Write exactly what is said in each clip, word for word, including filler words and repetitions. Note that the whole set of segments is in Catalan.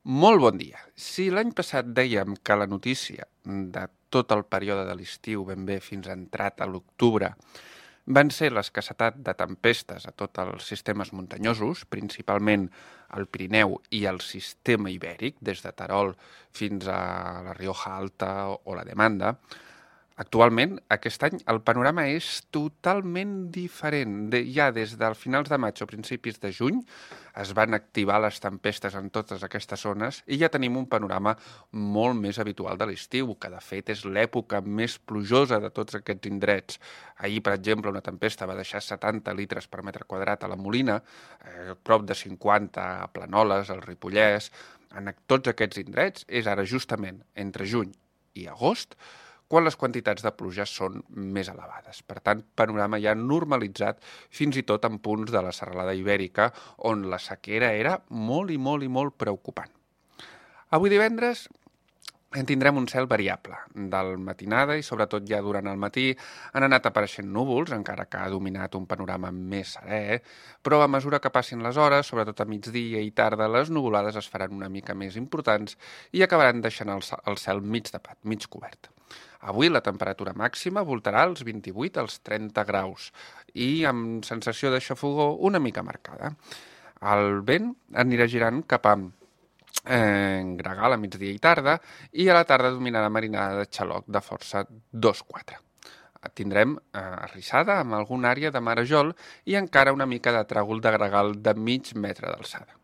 Molt bon dia. Si l'any passat dèiem que la notícia de tot el període de l'estiu ben bé fins a entrat a l'octubre van ser l'escassetat de tempestes a tots els sistemes muntanyosos, principalment al Pirineu i al sistema ibèric, des de Terol fins a la Rioja Alta o la Demanda, actualment, aquest any, el panorama és totalment diferent. De, ja des dels finals de maig o principis de juny es van activar les tempestes en totes aquestes zones i ja tenim un panorama molt més habitual de l'estiu, que de fet és l'època més plujosa de tots aquests indrets. Ahir, per exemple, una tempesta va deixar setanta litres per metre quadrat a la Molina, eh, prop de cinquanta a Planoles, al Ripollès. En tots aquests indrets és ara justament entre juny i agost quan les quantitats de pluja són més elevades. Per tant, panorama ja normalitzat fins i tot en punts de la serralada ibèrica on la sequera era molt i molt i molt preocupant. Avui divendres en tindrem un cel variable. Del matinada i sobretot ja durant el matí han anat apareixent núvols, encara que ha dominat un panorama més serè, però a mesura que passin les hores, sobretot a migdia i tarda, les nuvolades es faran una mica més importants i acabaran deixant el, el cel mig tapat, mig cobert. Avui la temperatura màxima voltarà als vint-i-vuit als trenta graus i amb sensació de xafogor una mica marcada. El vent anirà girant cap a eh, gregal a migdia i tarda i a la tarda dominarà marinada de xaloc de força dos quatre. Tindrem eh, arrissada amb alguna àrea de marejol i encara una mica de tràgol de gregal de mig metre d'alçada.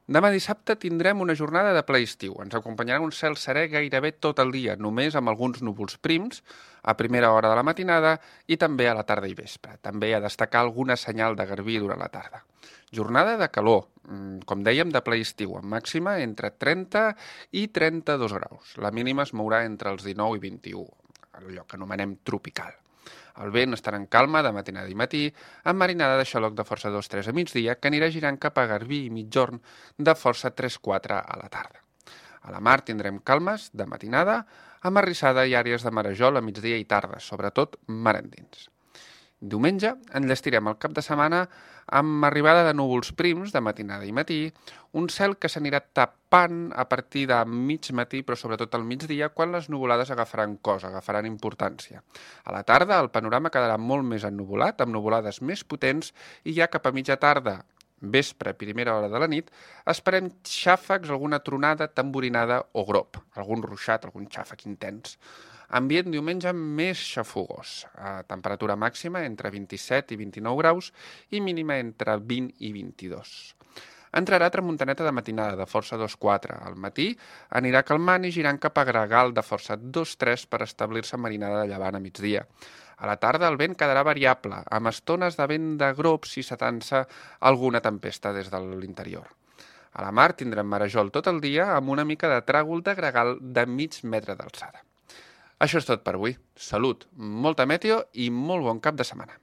Demà dissabte tindrem una jornada de ple estiu. Ens acompanyarà un cel serè gairebé tot el dia, només amb alguns núvols prims a primera hora de la matinada i també a la tarda i vespre. També a destacar alguna senyal de garbí durant la tarda. Jornada de calor, com dèiem, de ple estiu, amb màxima entre trenta i trenta-dos graus. La mínima es mourà entre els dinou i vint-i-u, allò que anomenem tropical. El vent estarà en calma de matinada i matí, amb marinada de xaloc de força dos tres a migdia, que anirà girant cap a Garbí i migjorn de força tres quatre a la tarda. A la mar tindrem calmes de matinada, amb arrissada i àrees de marejol a migdia i tarda, sobretot mar endins. Diumenge enllestirem el cap de setmana amb arribada de núvols prims de matinada i matí, un cel que s'anirà tapant a partir de mig matí, però sobretot al migdia, quan les nuvolades agafaran cos, agafaran importància. A la tarda el panorama quedarà molt més ennuvolat, amb nuvolades més potents, i ja cap a mitja tarda, vespre, primera hora de la nit, esperem xàfecs, alguna tronada, tamborinada o grop, algun ruixat, algun xàfec intens. Ambient diumenge més xafogós, a temperatura màxima entre vint-i-set i vint-i-nou graus i mínima entre vint i vint-i-dos. Entrarà tramuntaneta de matinada de força dos quatre. Al matí anirà calmant i girant cap a gregal de força dos tres per establir-se marinada de llevant a migdia. A la tarda el vent quedarà variable, amb estones de vent de grop si s'atansa alguna tempesta des de l'interior. A la mar tindrem marejol tot el dia amb una mica de tràgol de gregal de mig metre d'alçada. Això és tot per avui. Salut, molta meteo i molt bon cap de setmana.